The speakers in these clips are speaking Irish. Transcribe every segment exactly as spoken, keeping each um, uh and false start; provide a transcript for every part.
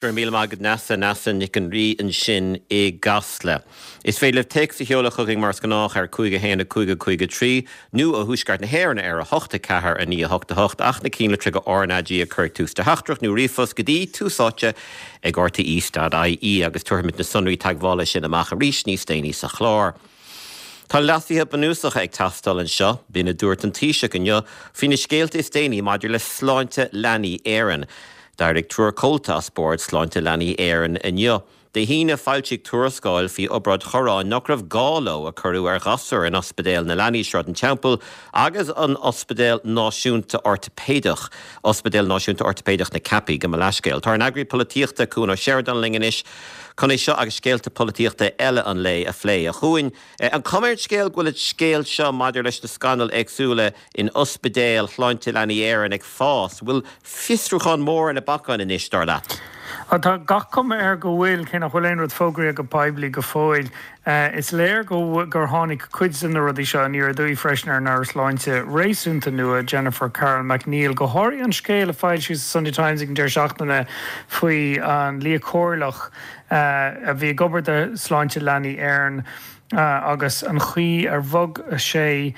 Go raibh míle maith agat Neasa Neasa Nic an Rí ansin i gCasla. Is féidir libh téacs a sheoladh chugainn mar is gnách ar cúig a haon a cúig a cúig a trí nó ó Thuaisceart na hÉireann ar a hocht a ceathair a naoi a hocht a hocht ach na cinnlitreacha RnaG a chur ag tús do theachtaireacht nó ríomhphost go dtí Tús Áite ag RTÉ.ie agus tabharfaimid na sonraí teagmhála sin amach arís níos déanaí sa chlár. Tá leasuithe bunúsacha ag teastáil anseo, b'in a dúirt an Taoiseach inniu faoi na scéalta is déanaí maidir le Sláinte Leanaí Éireann. D'éirigh triúr comhalta as Bord Sláinte Leanaí Éireann inniu. Dé hAoine foilsíodh tuarascáil faoi obráid chorráin nach raibh gá leo a cuireadh ar ghasúir in Ospidéal na Leanaí Sráid an Teampaill agus an Ospidéal Náisiúnta Ortaipéideach, Ospidéal Náisiúnta Ortaipéideach na Ceapaí gabh mo leithscéal. Tá ár n-eagraí polaitíochta Cuan Ó Seireadáin linn anois chun é seo agus scéalta polaitíochta eile an lae a phlé. A Chuain, an cuma ar an scéal go bhfuil an scéal seo maidir leis na scannail éagsúla in Ospidéal Shláinte Leanaí Éireann ag fás, bhfuil fiosrúchán mór ar na bacáin anois dar leat. Tá gach cuma air go bhfuil cé nach bhfuil aon rud fógraithe go poiblí go fóill. Is léir go gur tháinig cuid de na rudaí seo aniar aduaidh freisin ar an Aire Sláinte réasúnta nua Jennifer Carroll MacNeill, go háirithe an scéal a foilsíodh sa Sunday Times ag an deireadh seachtaine faoi an lia comhairleach a bhí ag obair do Sláinte Leanaí Éireann. agus an chaoi ar bhog sé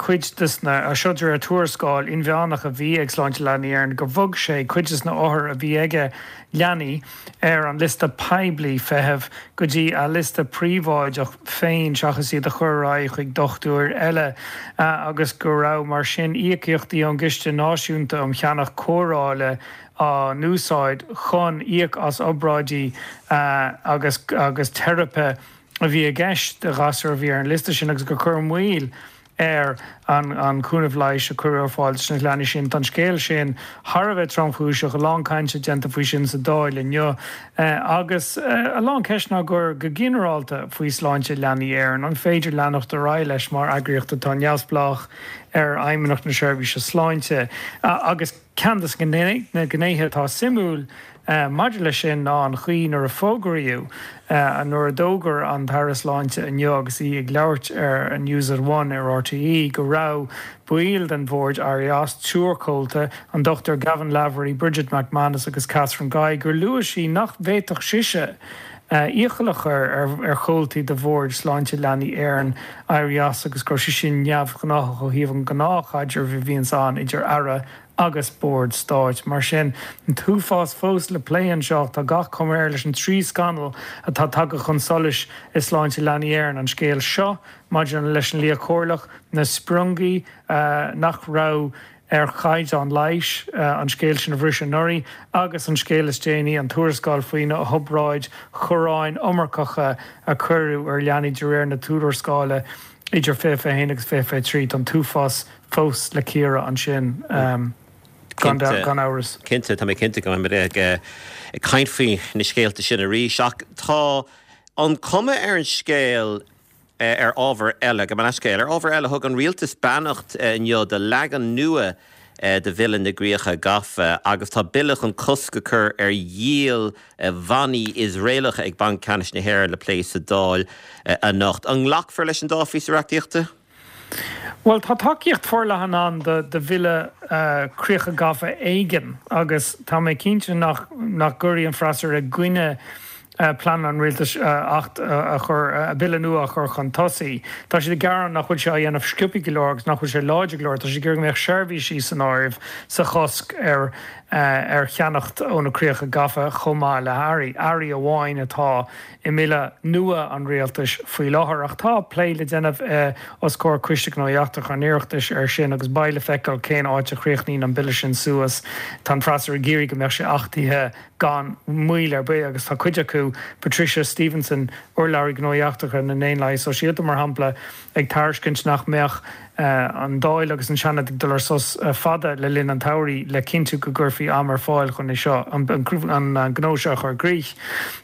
cuid de na seo de réir tuarascáil inmheánach a bhí ag Sláinte Leanaí Éireann gur bhog sé cuid de na hothair a bhí aige leanaí ar an liosta poiblí feithimh go dtí a liosta príobháideach féin seachas iad a chur ar aghaidh chuig dochtúir eile agus go raibh mar sin íocaíochtaí ón gCiste Náisiúnta um Cheannach Cóireála á n-úsáid chun íoc as obráidí agus agus teiripe a bhí i gceist do ghasúir a bhí ar an liosta sin agus gur cuireadh moill ar an an cúnamh leighis a cuireadh ar fáil do na leanaí sin. Tá an scéal sin thar a bheith tromchúiseach, a lán cainte déanta faoi sin sa Dáil inniu agus a lán ceisteanna á gcur go ginearálta faoi Sláinte Leanaí Éireann. An féidir leanacht ar aghaidh leis mar eagraíocht atá neamhspleách ar Fheidhmeannacht na Seirbhíse Sláinte agus ceann de na gnéithe atá suimiúil maidir leis sin ná an chaoi nuair a fógraíodh nuair a d'fhógair an tAire Sláinte inniu agus í ag labhairt ar News at One ar RTÉ go raibh baill den bhord éirithe as triúr comhalta an Dr Gavin Lavery, Bridget McManus agus Catherine Guy gur luaigh sí nach bhféadfadh sise iachall a chur ar ar chomhaltaí de bhord Sláinte Leanaí Éireann éirí as agus go raibh sé sin neamhghnách ó thaobh an ghnáthchaidrimh a bhíonn ann idir aire agus bord stáit. Mar sin an t-uafás fós le plé anseo tá gach cuma air leis an trí scannal atá tagtha chun solais i Sláinte Leanaí Éireann an scéal seo maidir leis an lia comhairleach na spriongaí nach raibh ar chaighdeán leighis an scéal sin a bhris anuraidh agus an scéal is déanaí an tuarascáil faoi na hobráid chorráin iomarcacha a cuireadh ar leanaí de réir na tuarascála idir fiche fiche haon agus fiche fiche trí an t-uafás fós le cíoradh ansin um, gan amhras. Cinnte tá mé cinnte go mbeidh ag ag caint faoi na scéalta sin arís ach tá an cuma ar an scéal ar ábhar eile gabh mo leithscéal ar ábhar eile thug an rialtas beannacht inniu do leagan nua de Bhille na gCríocha Gafa agus tá bille chun cosc a chur ar dhíol bannaí Iosraelacha ag Banc Ceannais na hÉireann le plé sa Dáil anocht. An nglacfar leis an dá phíosa reachtaíochta? Well tá tacaíocht forleathan ann do do bhille críocha gafa éigin agus tá mé cinnte nach nach gcuirfidh an freasúra i gcoinne plean an rialtais acht a chur bille nua a chur chun tosaigh. Tá siad ag gearán nach bhfuil sé á dhéanamh sciobtha go leor agus nach bhfuil sé láidir go leor, Tá sé gur mbeadh seirbhísí san áireamh sa chosc ar ar cheannacht ó na críocha gafa chomh maith le hearraí. Earraí amháin atá i mbille nua an rialtais faoi láthair ach tá plé le déanamh os comhair Coiste Gnóthaí Eachtracha an Oireachtais ar sin agus beidh le feiceáil cén áit a chríochnaíonn an bille sin suas. Tá an freasúra ag iarraidh go mbeadh sé achtaithe gan moill ar bith agus tá cuid acu Patricia Stevenson urlabhraí gnóthaí eachtracha na nDaonlathaithe Sóisialta mar shampla ag tairiscint nach mbeadh an Dáil agus an Seanad ag dul ar sos fada le linn an tsamhraidh le cinntiú go gcuirfí am ar fáil chun é seo an gnó seo a chur i gcrích.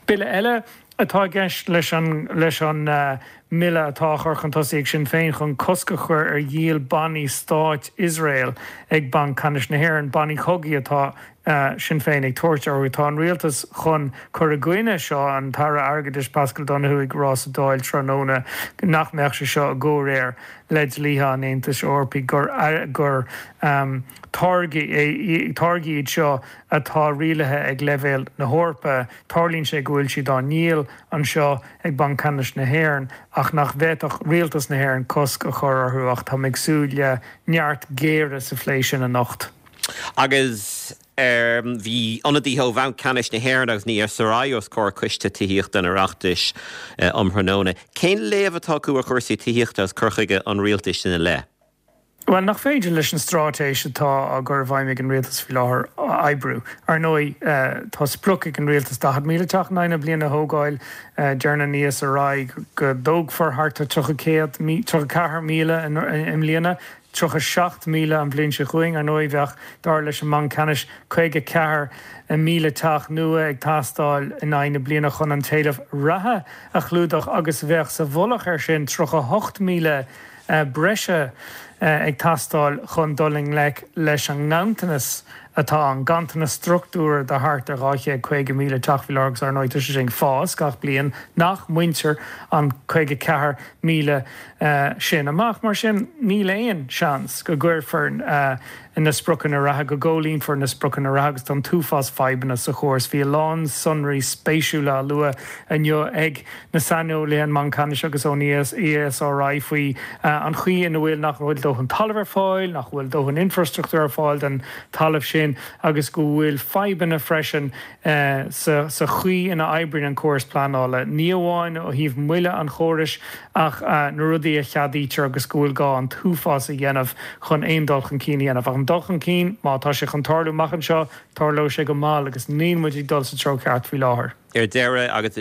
Bille eile atá i gceist leis an leis an mbille atá á chur chun tosaigh ag Sinn Féin chun cosc a chur ar dhíol bannaí stáit Iosrael ag Banc Ceannais na hÉireann, bannaí cogaidh atá Sinn Féin ag tabhairt orthu. Tá an rialtas chun cur i gcoinne seo, an tAire Airgeadais Paschal Donohoe ag rá sa Dáil tráthnóna nach mbeadh sé seo i gcomhréir le dlíthe an Aontais Eorpaigh, gur gur táirgí iad seo atá rialaithe ag leibhéal na hEorpa. Tarlaíonn sé go bhfuil siad á ndíol anseo ag Banc Ceannais na hÉireann ach nach bhféadfadh rialtas na hÉireann cosc a chur orthu ach táim ag súil le neart géire sa phlé sin anocht. Agus bhí ionadaithe ó Bhanc Ceannais na hÉireann agus an ESRI os comhair Coiste Tithíochta an Oireachtais um thráthnóna. Cén léamh atá acu ar chúrsaí tithíochta agus cur chuige an rialtais ina leith? Bhuel, nach féidir leis an straitéis atá á gcur i bhfeidhm ag an rialtas faoi láthair oibriú. Ar ndóigh, tá sprioc ag an rialtas daichead míle teach in aghaidh na bliana a thógáil. Deir an ESRI go dtógfar thart ar tríocha céad, tríocha ceathair míle i mbliana, tríocha seacht míle an bhliain seo chugainn. Ar ndóigh, bheadh, dar leis an mBanc Ceannais, caoga ceathair míle teach nua ag teastáil in aghaidh na bliana chun an t-éileamh reatha a chlúdach agus bheadh sa mhullach air sin tríocha hocht míle breise ag teastáil chun dul i ngleic leis an nganntanas atá ann, ganntanas struchtúrtha de thart ar dhá chéad caoga míle teach faoi láthair agus ar ndóigh tá sé sin ag fás gach bliain nach mbaintear an caoga ceathair míle sin amach. Mar sin níl aon seans go gcuirfear na spriocanna reatha, go gcomhlíonfar na spriocanna reatha agus tá an t-uafás fadhbanna sa chóras. Bhí a lán sonraí spéisiúla á lua inniu ag na saineolaithe ón mBanc Ceannais agus ón ESRI faoi an chaoi ina bhfuil nach bhfuil dóthain talaimh ar fáil, nach bhfuil dóthain infrastruchtúr ar fáil don talamh sin agus go bhfuil fadhbanna freisin sa chaoi ina oibríonn an córas pleanála, ní amháin ó thaobh moille an chórais ach na rudaí a cheadaítear agus go bhfuil gá an t-uafás a dhéanamh chun aon dul chun cinn a dhéanamh. Ach an dul chun cinn, má tá sé chun tarlú amach anseo, tarlóidh sé go mall agus níl muid ag dul sa treo ceart faoi láthair. Ar deireadh, agus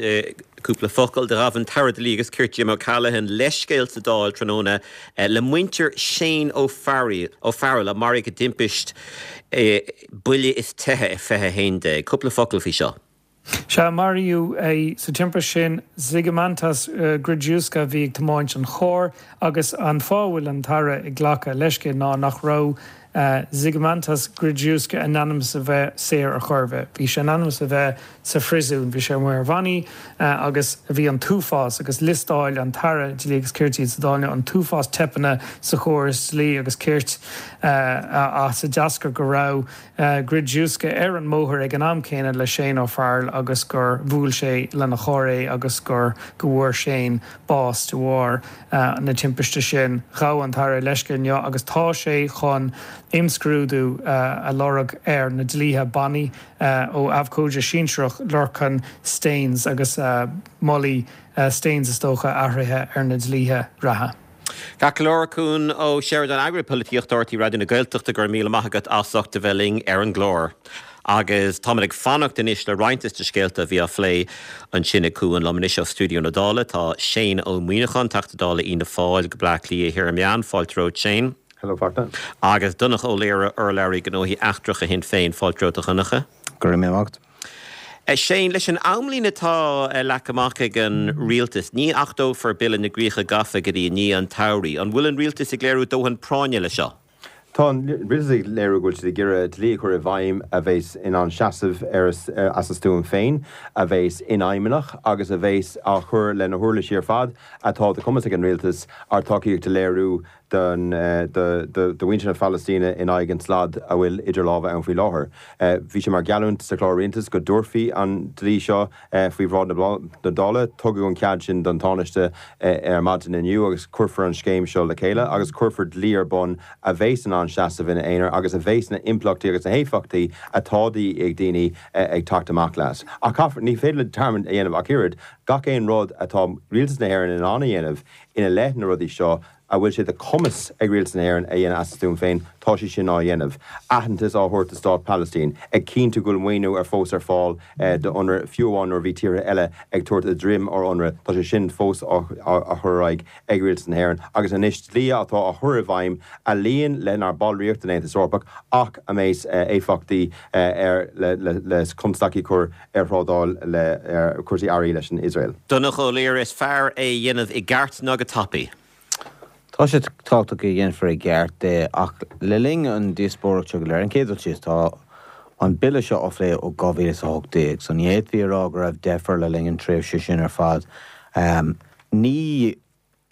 cúpla focal, do ghabh an tAire Dlí agus Cirt Jim O'Callaghan leithscéal sa Dáil tráthnóna le muintir Shane Ó Fearghail a maraíodh i dtimpist buille is teitheadh i fiche a haon déag. Cúpla focal faoi seo. Sea, maraíodh é sa timpist sin. Zygimantas Gridziuska a bhí ag tiomáint an chairr agus an fáth a bhfuil an tAire ag glacadh leithscéil ná nach raibh Zygimantas Gridziuska in ainm is a bheith saor ar chor ar bith. Bhí sé in ainm is a bheith sa phríosún. Bhí sé amuigh ar bhannaí agus bhí an t-uafás, agus liostáil an tAire Dlí agus Cirt iad sa Dáil, an t-uafás teipeanna sa chóras dlí agus cirt as a d'eascair go raibh Gridziuska ar an mbóthar ag an am céanna le Shane Ó Fearghail agus gur bhuail sé lena charr é agus gur go bhfuair Shane bás de bharr na timpiste sin. Ghabh an tAire leithscéal inniu agus tá sé chun imscrúdú a lorg ar na dlíthe bannaí ó abhcóide sinsearach Lorcan Staines agus molfaidh Staines is dócha athruithe ar na dlíthe reatha. Ceart go leor, Cuan Ó Seireadáin, Eagarthóir Polaitíochta R T Raidió na Gaeltachta, go raibh míle maith agat as ucht a bheith linn ar an gclár. Agus táimid ag fanacht anois le roinnt de na scéalta a bhí á phlé ansin ag Cuan. Liom anois ó stiúideo na Dála tá Shane Ó Muíneacháin, Teachta Dála Fhianna Fáil go Bleá Cliath Thiar Meán. Fáilte romhat, Shane. Hello, Fachtna. Agus Donncha Ó Laoghaire, urlabhraí gnóthaí eachtracha Shinn Féin. Fáilte romhat, a Dhonncha. Go raibh míle maith agat. Shane, leis an amlíne atá leagtha amach ag an rialtas, ní achtófar Bille na gCríocha Gafa go dtí i ndiaidh an tsamhraidh. An bhfuil an rialtas ag léiriú dóthain práinne leis seo? Tá an rialtas ag léiriú go bhfuil siad ag iarraidh dlí a chur i bhfeidhm a bheas in ann seasamh ar as a stuaim féin, a bheas infheidhmeach agus a bheas á chur le na huirlisí ar fad atá de chumas ag an rialtas ár dtacaíocht a léiriú don do mhuintir na Palaistíne in aghaidh an tslad a bhfuil idir lámha ann faoi láthair. Bhí sé mar gheallúint sa chlár rialtais go dtabharfaí an dlí seo faoi bhráid na Dála. Tugadh an cead sin don Tánaiste ar maidin inniu agus cuirfear an scéim seo le chéile agus cuirfear dlí ar bun a bheas in ann seasamh ina aonar agus a bheas na himpleachtaí agus na héifeachtaí atá de dhíth ag daoine ag teacht amach leis. Ach caithfear, ní féidir linn dearmad a dhéanamh ach oiread, gach aon rud atá rialtas na hÉireann in ann a dhéanamh ina leith na rudaí seo, a bhfuil sé de chumas ag Rialtas na hÉireann a dhéanamh as a stuaim féin, tá sé sin á dhéanamh. Aitheantas á thabhairt do Stát Palaistín, ag cinntiú go bhfuil maoiniú ar fós ar fáil do UNRWA, fiú amháin nuair a bhí tíortha eile ag tabhairt a droim ar UNRWA, tá sé sin fós á chur ar aghaidh ag Rialtas na hÉireann. Agus anois dlí atá á chur i bhfeidhm a luíonn lenár ballraíocht den Aontas Eorpach ach a mbeidh éifeachtaí ar le constaicí a chur ar thrádáil le cúrsaí earraí leis an Iosrael. Donncha Ó Laoghaire, is fearr é a dhéanamh i gceart ná go tapaidh. Tá sé tábhachtach go dhéanfar i gceart é ach le linn an díospóireacht seo go léir, an chéad dul síos, tá an bille seo á phlé ó dhá mhíle is a hocht déag, so ní fhéadfaí a rá go raibh deifir le linn an tréimhse sin ar fad. Ní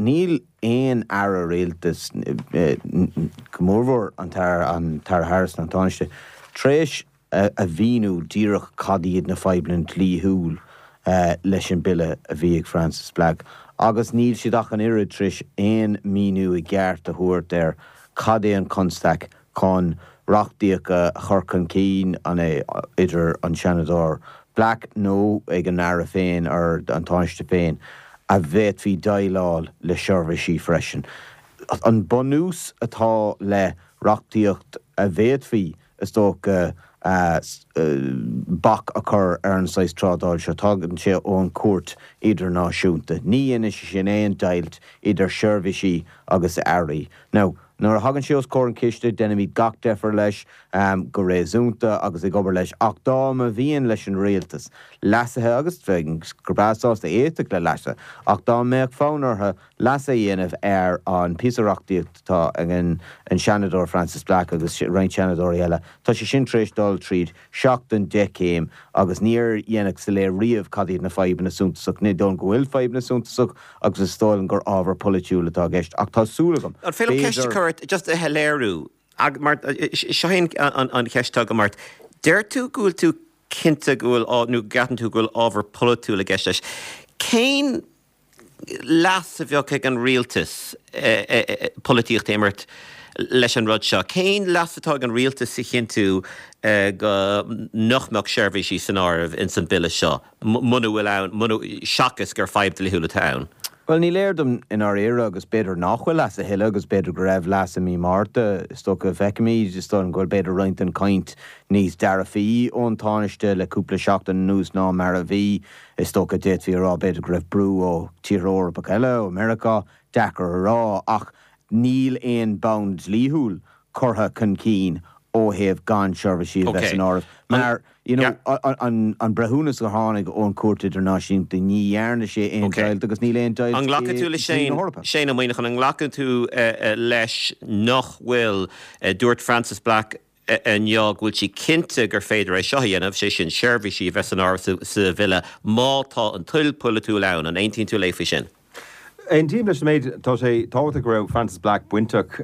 níl aon aire rialtais, go mórmhór an tAire Harris nó an Tánaiste, tar éis a mhíniú díreach cad iad na fadhbanna dlíthiúil leis an bille a bhí ag Frances Black agus níl siad ach an oiread tar éis aon míniú i gceart a thabhairt ar cad é an constaic chun reachtaíocht a chur chun cinn, an é idir an Seanadóir Black nó ag an Aire féin or an Tánaiste féin, a bhféadfaí déileáil le seirbhísí freisin. An bunús atá le reachtaíocht a bhféadfaí, is dócha, bac a chur ar an saghas trádáil seo, tagann sé ón Chúirt Idirnáisiúnta. Ní dhéanann sé sin aon deighilt idir seirbhísí agus earraí. Now, nuair a thagann sé os comhair an chiste, déanaimid gach deifir leis go réasúnta agus ag obair leis, ach dá mba mhian leis an rialtas leasuithe, agus bheinn go breá sásta éisteacht le leasuithe, ach dá mbeadh fonn orthu leasuithe a dhéanamh ar an píosa reachtaíocht atá ag an Seanadóir Frances Black agus roinnt seanadóirí eile, tá sé sin tar éis dul tríd seacht den deich céim agus níor dhéanadh soiléir riamh cad iad na fadhbanna suntasach. Ní dóigh liom go bhfuil fadhbanna suntasach agus is dóigh liom gur ábhar polaitiúil atá i gceist ach tá súil agam, An féidir liom ceist a chur ort just a shoiléiriú? Mar seo é an cheist atá agam ort. Deir tú go bhfuil tú cinnte go bhfuil, nó go gceapann tú go bhfuil ábhar polaitiúil i gceist leis. Cén leas a bheadh ag an rialtas polaitíocht a imirt leis an rud seo? Cén leas atá ag an rialtas a chinntiú go nach mbeadh seirbhísí san áireamh ins an bille seo, muna bhfuil ann, muna, seachas gur fadhb dlíthiúil atá ann? Bhuel, ní léir dom i ndáiríre agus b'fhéidir nach bhfuil leas a thuilleadh agus b'fhéidir go raibh leas i mí Márta, is dócha, feicimid, is dóigh liom go bhfuil b'fhéidir roinnt den chaint níos dearfaí ón Tánaiste le cúpla seachtain anuas ná mar a bhí. Is dócha, d'fhéadfaí a rá b'fhéidir go raibh brú ó tíortha Eorpacha eile, ó Meiriceá, deacair a rá, ach níl aon bonn dlíthiúil curtha chun cinn ó thaobh gan seirbhísí a bheith san áireamh. Mar, you know, an breithiúnas a tháinig ón Chúirt Idirnáisiúnta, ní dhearna sé aon deighilt agus níl aon deighilt i dlí na hEorpa. Shane Ó Muíneacháin, an nglacann tú leis nach bhfuil, dúirt Frances Black inniu go bhfuil sí cinnte gur féidir é seo a dhéanamh, sé sin seirbhísí a bheith san áireamh sa bhille má tá an toil pholaitiúil ann. An aontaíonn tú léi faoi sin? Aontaím leis an méid. Tá sé tábhachtach go raibh Frances Black bainteach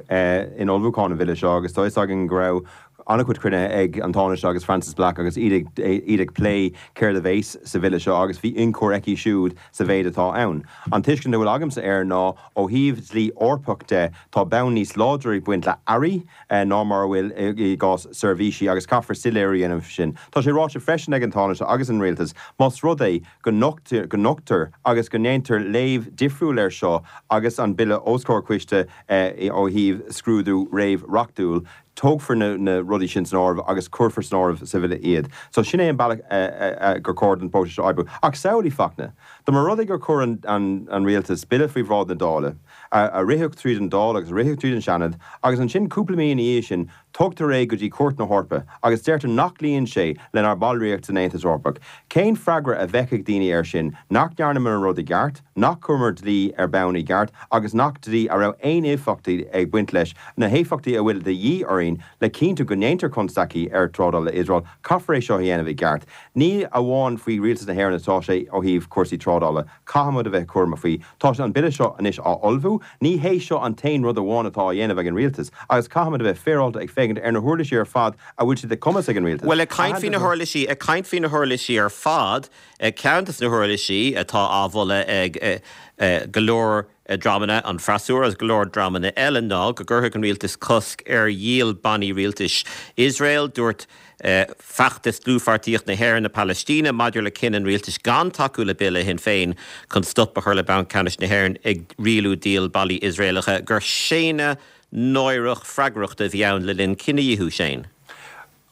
in ullmhúchán an bhille seo agus tá fhios againn go raibh an-chuid cruinnithe ag an Tánaiste agus Frances Black agus iad iad ag plé céard a bheas sa bhille seo agus bhí ionchur aici siúd sa mhéid atá ann. An tuiscint a bhfuil agamsa air ná ó thaobh dlí Eorpach de tá bonn níos láidre ag baint le earraí ná mar a bhfuil i gcás seirbhísí agus caithfear soiléiriú a dhéanamh sin. Tá sé ráite freisin ag an Tánaiste agus an Rialtas más rud é go nochtar agus go ndéantar léamh difriúil air seo agus an Bille os comhair coiste ó thaobh scrúdú réamh-reachtúil, tógfar na rudaí sin san áireamh agus cuirfear san áireamh sa Bhille iad. So sin é an bealach gur chóir don bpróiseas seo oibriú. Ach samhlaigh, Fachtna, dá mba rud é gur chuir an Rialtas Bille faoi bhráid na Dála, a ritheadh tríd an Dáil agus a ritheadh tríd an Seanad, agus ansin cúpla mí ina dhiaidh sin, Tugtar é go dtí Cúirt na hEorpa agus deirtear nach gcloíonn sé lenár ballraíocht san Aontas Eorpach. Cén freagra a bheadh ag daoine air sin? Nach ndearnamar an rud i gceart? Nach chuireamar dlí ar bonn i gceart agus nach dlí a raibh aon éifeachtaí ag baint leis, na héifeachtaí a bhfuil de dhíth orainn le cinntiú go ndéantar constaicí ar trádáil le Iosrael? Caithfear é seo a dhéanamh i gceart. Ní amháin faoi Rialtas na hÉireann atá sé ó thaobh cúrsaí trádála. Caithfimid a bheith cúramach faoi. Tá an Bille seo anois á ullmhú. Ní hé seo an t-aon rud amháin atá á dhéanamh ag an Rialtas agus caithfimid a bheith féaráilte ag féachaint ar na huirlisí ar fad a bhfuil sé de chumas ag an Rialtas. Bhuel, ag caint faoi na huirlisí, ag caint faoi na huirlisí ar fad, ceann de na huirlisí atá á mholadh ag go leor dreamanna, an freasúra agus go leor dreamanna eile, ná go gcuirfeadh an Rialtas cosc ar dhíol bannaí rialtais Iosrael. Dúirt Feachtas Dlúthpháirtíocht na hÉireann na Palaistíne maidir le cinneadh an rialtais gan tacú le Bille Shinn Féin chun stop a chur le Banc Ceannais na hÉireann ag rialú díol bannaí Iosraelacha gur séanadh náireach freagrachta a bhí ann le linn cinedhíothú Shane.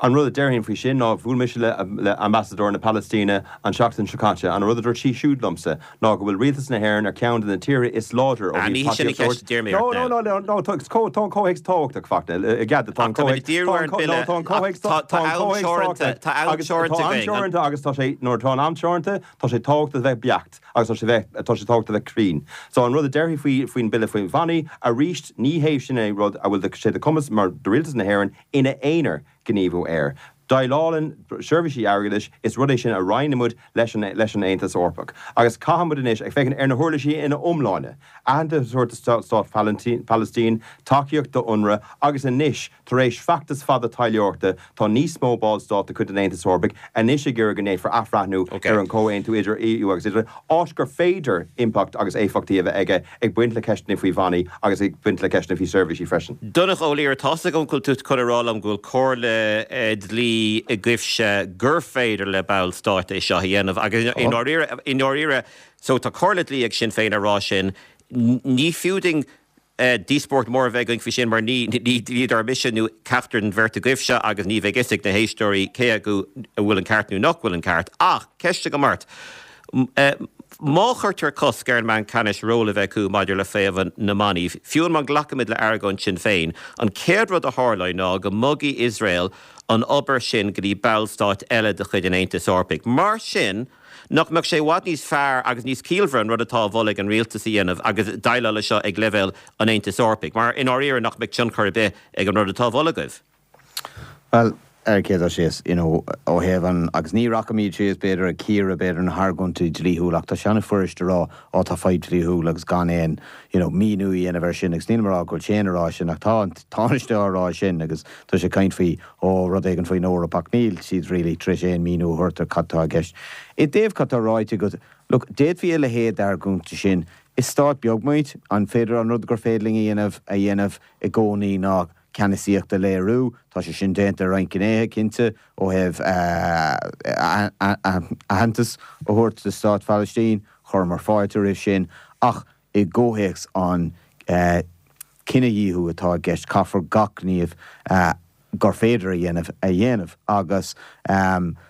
An rud a déarfainn faoi sin ná bhuail mise le le ambasadóir na Palaistíne an tseachtain seo caite. An rud a dúirt sí siúd liomsa ná go bhfuil rialtas na hÉireann ar cheann de na tíortha is láidre ó thaobh tacaíocht a thabhairt. No, no, no, no, no, tá tá an comhthéacs tábhachtach Fachtna, i gcead tá an comhthéacs tá tá an comhthéacs tá an comhthéacs tábhachtach Tá am agus tá am teoranta againn. teoranta agus tá sé nuair atá an am teoranta tá sé tábhachtach a bheith beacht agus tá sé bheith tá sé tábhachtach a bheith cruinn. So an rud a déarfainn faoi faoin bille faoi bhannaí arís ní hé sin é rud a bhfuil sé de cumas mar do rialtas na hÉireann ina aonar gníomhú air. Déileálann seirbhísí airgeadais is rud é sin a roinnimid leis an leis an Aontas Eorpach. Agus caithfimid anois ag féachaint ar na huirlisí ina iomláine. Aitheantas a thabhairt stát Palaistín, tacaíocht do UNRWA agus anois tar éis feachtas fada taidhleoireachta tá níos mó ballstát de chuid an Aontais Eorpaigh anois ag iarraidh go ndéanfar athbhreithniú Okay. ar an comhaontú idir EU agus Iosrael, áit gur féidir impact agus éifeachtaí a bheith aige ag baint le ceisteanna faoi bhannaí agus ag baint le ceisteanna faoi seirbhísí freisin. Donncha Ó Laoghaire tá an tú chun a rá liom go bhfuil comhairle dlí agaibhse gur féidir le ballstáit é seo a dhéanamh agus i ndáiríre so tá comhairle dlí ag Sinn Féin a rá sin ní fiú dúinn díospóireacht mór a bheith againn faoi sin mar ní ní mise nó ceachtar den bheirt agaibhse agus ní bheidh fhios ag na héisteoirí cé acu a bhfuil an ceart nó nach bhfuil an ceart ach ceist agam ort. Má chuirtear cosc ar an mBanc Ceannais ról a bheith acu maidir le faomhadh na mbannaí, fiú má ghlacaimid le argóint Sinn Féin, an chéad rud a tharlóidh ná go mbogfaidh Iosrael an obair sin go dtí ballstáit eile de chuid an Aontais Eorpaigh. Mar sin, nach mbeadh sé i bhfad níos fearr agus níos ciallmhaire an rud atá á mholadh ag an rialtas a dhéanamh agus déileáil leis seo ag leibhéal an Aontais Eorpaigh, mar i ndáiríre nach mbeadh tionchar ar bith ag an rud atá á mholadh agaibh. Well, ar céad síos you know, ó thaobh an agus ní rachaimid síos b'fhéidir ag cíoradh b'fhéidir na hargóintí dlíthiúla ach tá sé an-fhurast a rá á tá fadhb dlíthiúil agus gan aon you know, míniú a dhéanamh air sin agus níl mé ag rá go bhfuil sé rá sin ach tá Tánaiste á rá sin agus tá sé caint faoi ó rud éigin faoin Eoraip ach níl siad really tar éis aon míniú a thabhairt ar cad tá i gceist. I dtaobh cad tá ráite go look, d'fhéadfaí a leithéid d'argóint sin is stát beag muid an féidir an rud gur féidir linn a dhéanamh a dhéanamh i gcónaí ná ceannasaíocht a léiriú, Tá sé sin déanta roinnt gnéithe cinnte ó thaobh aitheantas a thabhairt do stát Phalaistín, chuireamar fáilte roimh sin ach i gcomhthéacs an cinedhíothú atá i gceist caithfear gach gníomh gur féidir a dhéanamh a dhéanamh agus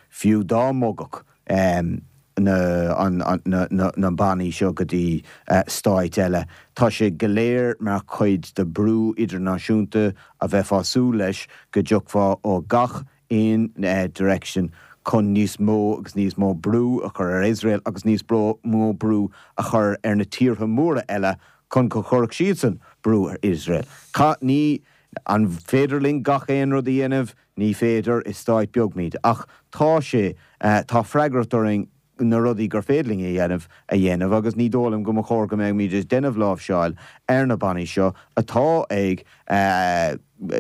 fiú dá mbogfadh na, na, na, na bannaí seo go dtí stáit eile. Tá sé go léir mar chuid de brú idirnáisiúnta a bheith fású leis go dtiocfá ó gach aon direction chun níos mó agus níos mó brú a chur ar Israel agus níos mó brú a chur ar na tíortha móra eile chun go gcuirfeadh siadsan brú ar Israel. Ca ní an féidir linn gach aon rud a dhéanamh ní féidir is stát beag muid, ach tá sé uh, tá freagracht orainn na rudaí gur féidir linn a dhéanamh a dhéanamh agus ní dóigh liom go mba chóir go mbeimid ag déanamh láimhseáil ar na bannaí seo atá ag uh,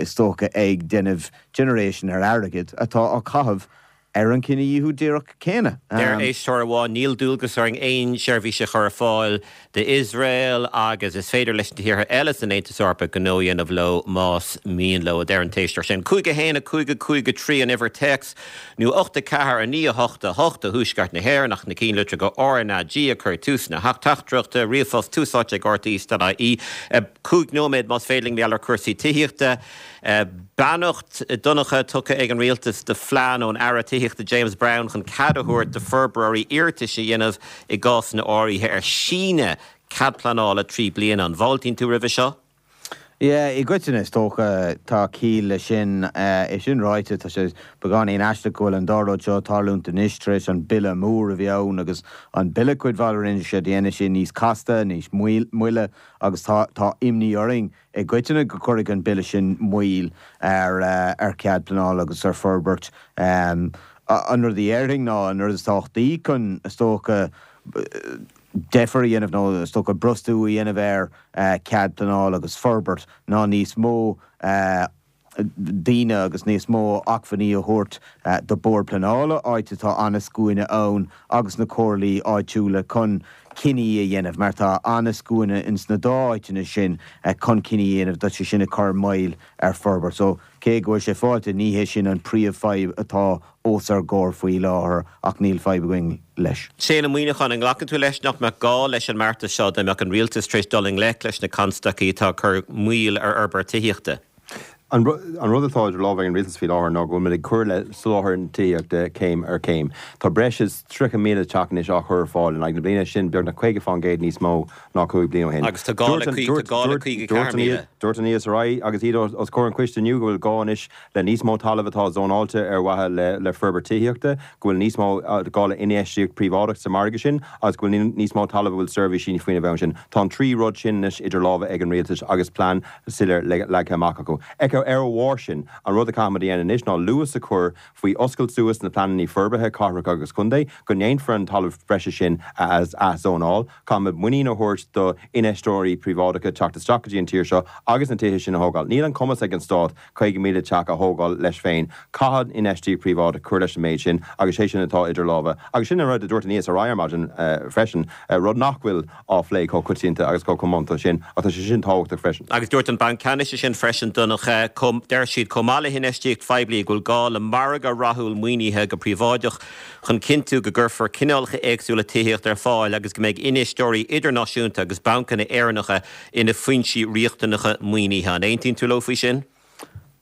stocha ag déanamh generation ar airgead atá á chaitheamh ar an cinedhíothú díreach céanna. Deir éisteoir amháin níl dualgas orainn aon seirbhís a chur ar fáil d'Iosrael agus is féidir leis na tíortha eile san Aontas Eorpach gnó a dhéanamh leo más mian leo a deir an t-éisteoir sin. Cúig a haon a cúig a cúig a trí an uimhir téacs nó ocht a ceathair a naoi a hocht a hocht do Thuaisceart na hÉireann ach na cinnlitreacha RnaG a chur tús na teachtaireachta ríomhphost Tús Áite ag RTÉ.ie Cúig nóiméad más féidir linn ar cúrsaí tithíochta. Beannacht Donncha tugtha ag an rialtas do phlean ón Aire Tithíochta James Browne chun cead a thabhairt do fhorbróirí iarratais a dhéanamh i gcásanna áirithe ar síneadh cead pleanála trí bliana an bhfáiltíonn tú roimhe seo? Yeah, i gcoitinne is dócha tá ciall le sin é sin ráite tá sé beagáinín aisteach go bhfuil an dá rud seo tarlúint anois tar éis an bille mór a bhí ann agus an bille cuid mhaith rinne sé déanamh sé níos casta, níos moille agus tá tá imní orainn i gcoitinne go gcuirfidh an bille sin moill ar ar cead pleanála agus ar forbairt um, an rud a déarfainn ná an rud is tábhachtaí chun is dócha deifir a dhéanamh nó is dócha brostú a dhéanamh ar cead pleanála agus forbairt ná níos mó daoine agus níos mó acmhainní a thabhairt do Bord Pleanála, áit atá an-scuaine ann, agus na comhairlí áitiúla chun cinní a dhéanamh, mar tá an-scuaine ins na dá áiteanna sin chun cinní a dhéanamh, tá sé sin ag cur moill ar forbairt. So, cé go bhfuil sé fáilte, ní hé sin an príomhfhadhb atá os ár gcomhair faoi láthair ach níl fadhb againn leis. Shane Ó Muimhneacháin, an nglacann tú leis nach mbeadh gá leis an mbeartas seo dá mbeadh an rialtas tar éis dul i ngleic leis na constaicí atá ag cur moill ar fhorbairt tithíochta? An rud atá idir lámha ag an rialtas faoi láthair ná go bhfuil muid ag cur le soláthar na tithíochta céim ar chéim. Tá breis is tríocha míle teach anois á chur ar fáil in aghaidh na bliana, sin beagnach caoga fán gcéad níos mó ná cúig bliana ó shin. Agus tá gá le tá gá le caoga ceathair míle. Dúirt an ESRI agus iad os comhair an choiste inniu go bhfuil gá anois le níos mó talaimh atá zónáilte ar mhaithe le forbairt tithíochta, go bhfuil níos mó gá le infheistíocht phríobháideach sa mhargadh sin agus go bhfuil níos mó talaimh a bhfuil seirbhísí faoina bhun sin. Tá an trí rud sin anois idir lámha ag an rialtas agus plean soiléir leagtha amach acu. Ar a bharr sin, an rud a chaithfimid a dhéanamh anois ná luas a chur faoi oscailt suas na pleananna forbartha cathrach agus contae, go ndéanfar an talamh breise sin a athzónáil. Caithfimid muinín a thabhairt do infheisteoirí príobháideacha teacht isteach go dtí an tír seo agus na tithe sin a thógáil. Níl an cumas ag an Stát caoga míle teach a thógáil leis féin. Caithfidh infheistíocht phríobháideach cur leis an méid sin agus sé sin atá idir lámha. Agus sin an rud a dúirt an ESRI ar maidin freisin, rud nach bhfuil á phlé chomh coitianta agus chomh comónta sin, ach tá sé sin tábhachtach freisin. Agus dúirt an Banc Ceannais é sin freisin, Donncha, deir siad chomh maith le hinfheistíocht phoiblí go bhfuil gá le margadh rathúil maoinithe go príobháideach chun cinntiú go gcuirfear cineálacha éagsúla tithíochta ar fáil agus go mbeidh infheisteoirí idirnáisiúnta agus bancanna Éireannacha ina foinsí riachtanacha maoinithe. An aontaíonn tú leo faoi sin?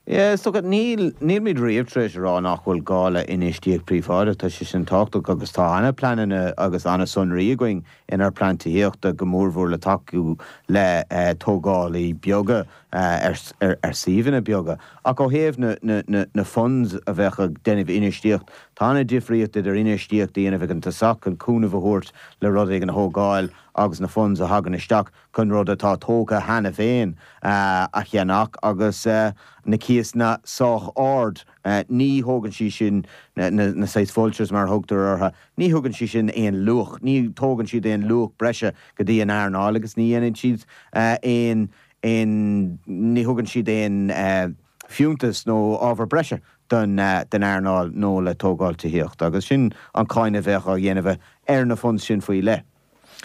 Yeah, is dócha, níl, nílimid riamh tar éis a rá nach bhfuil gá le infheistíocht phríobháideach, tá sé sin tábhachtach agus tá an-pleananna agus an-sonraí againn inár bplean tithíochta, go mórmhór le tacú le tógálaí beaga ar suíomhanna beaga. Ach ó thaobh na, na, na, na funds a bheadh ag déanamh infheistíocht, tá an-difríocht idir infheistíocht a dhéanamh ag an tosach chun cúnamh a thabhairt le rud éigin a thógáil agus na funds a thagann isteach chun rud atá tógtha cheana féin a cheannach agus na cíosanna sách ard. Ní thógann sí sin, na saghas vultures mar a thugtar orthu, ní thugann sí sin aon luach, ní thógann siad aon luach breise go dtí an earnáil agus ní dhéanann siad aon, aon, ní thugann siad aon fiúntas nó ábhar breise don don earnáil nó le tógáil tithíochta agus sin an cáineadh a bheadh á dhéanamh ar na funds sin faoi leith.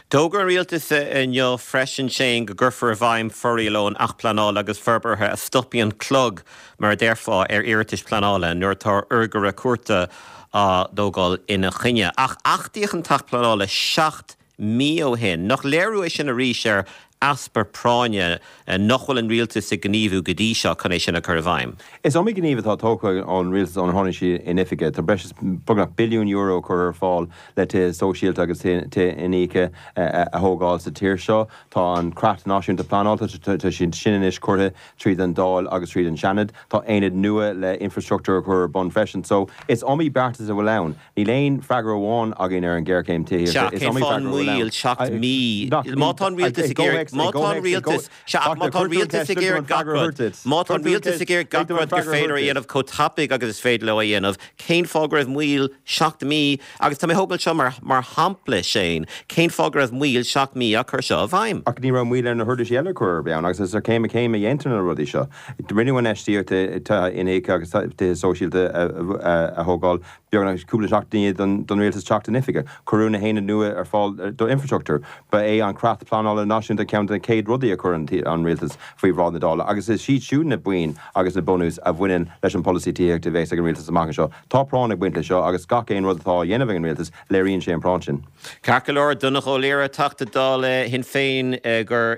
D'fhógair an rialtas inniu freisin, Shane, go gcuirfear i bhfeidhm foriail ón Acht Pleanála agus Forbartha a stopfaidh an clog, mar a déarfá, ar iarratais pleanála nuair atá urghaire cúirte á dtógáil ina choinne. Ach achtaíodh an tAcht Pleanála seacht mí ó shin. Nach léiriú é sin arís ar easpa práinne nach bhfuil an rialtas ag gníomhú go dtí seo chun é sin a chur i bhfeidhm? Is iomaí gníomh atá tógtha ón rialtas ónar tháinig siad in oifig. Tá breis is beagnach billiún euro curtha ar fáil le tithe sóisialta agus tithe iníoctha a thógáil sa tír seo. Tá an Creat Náisiúnta Pleanála, tá sé sin anois curtha tríd an Dáil agus tríd an Seanad. Tá aonad nua le infrastruchtúr a chur ar bun freisin. So, is iomaí beartas a bhfuil ann. Níl aon freagra amháin againn ar an ghéarchéim tithíochta. Sea, cén fáth an mhoill seacht mí? Má tá an rialtas ag iarraidh, má tá an rialtas, sea, ach má tá an rialtas ag iarraidh gach rud, má tá an rialtas ag iarraidh gach rud gur féidir a dhéanamh chomh tapaidh agus is féidir leo a dhéanamh, cén fáth go raibh moill seacht mí, agus tá mé ag tógáil seo mar, mar shampla, Shane, cén fáth go raibh moill seacht mí á cur seo i bhfeidhm? Ach ní raibh moill ar na huirlisí eile chor ar bith ann, agus is ar chéim a chéim a dhéantar na rudaí seo. Rinneadh infheistíocht i tithe iníoctha agus tithe sóisialta a thógáil beagnach cúpla seachtain i ndiaidh don rialtas teacht in oifig. Cuireadh na haonaid nua ar fáil d'infrastruchtúr. Ba é an Creat Pleanála Náisiúnta ceann de na chéad rudaí a chuir an rialtas faoi bhráid na Dála agus is iad siúd na boinn agus na bunús a bhaineann leis an bpolasaí tithíochta a bheas ag an rialtas amach anseo. Tá práinn ag baint leis seo agus gach aon rud atá á dhéanamh ag an rialtas, léiríonn sé an práinn sin. Ceart go leor, Donnchadh Ó Laoghaire, Teachta Dála Shinn Féin gur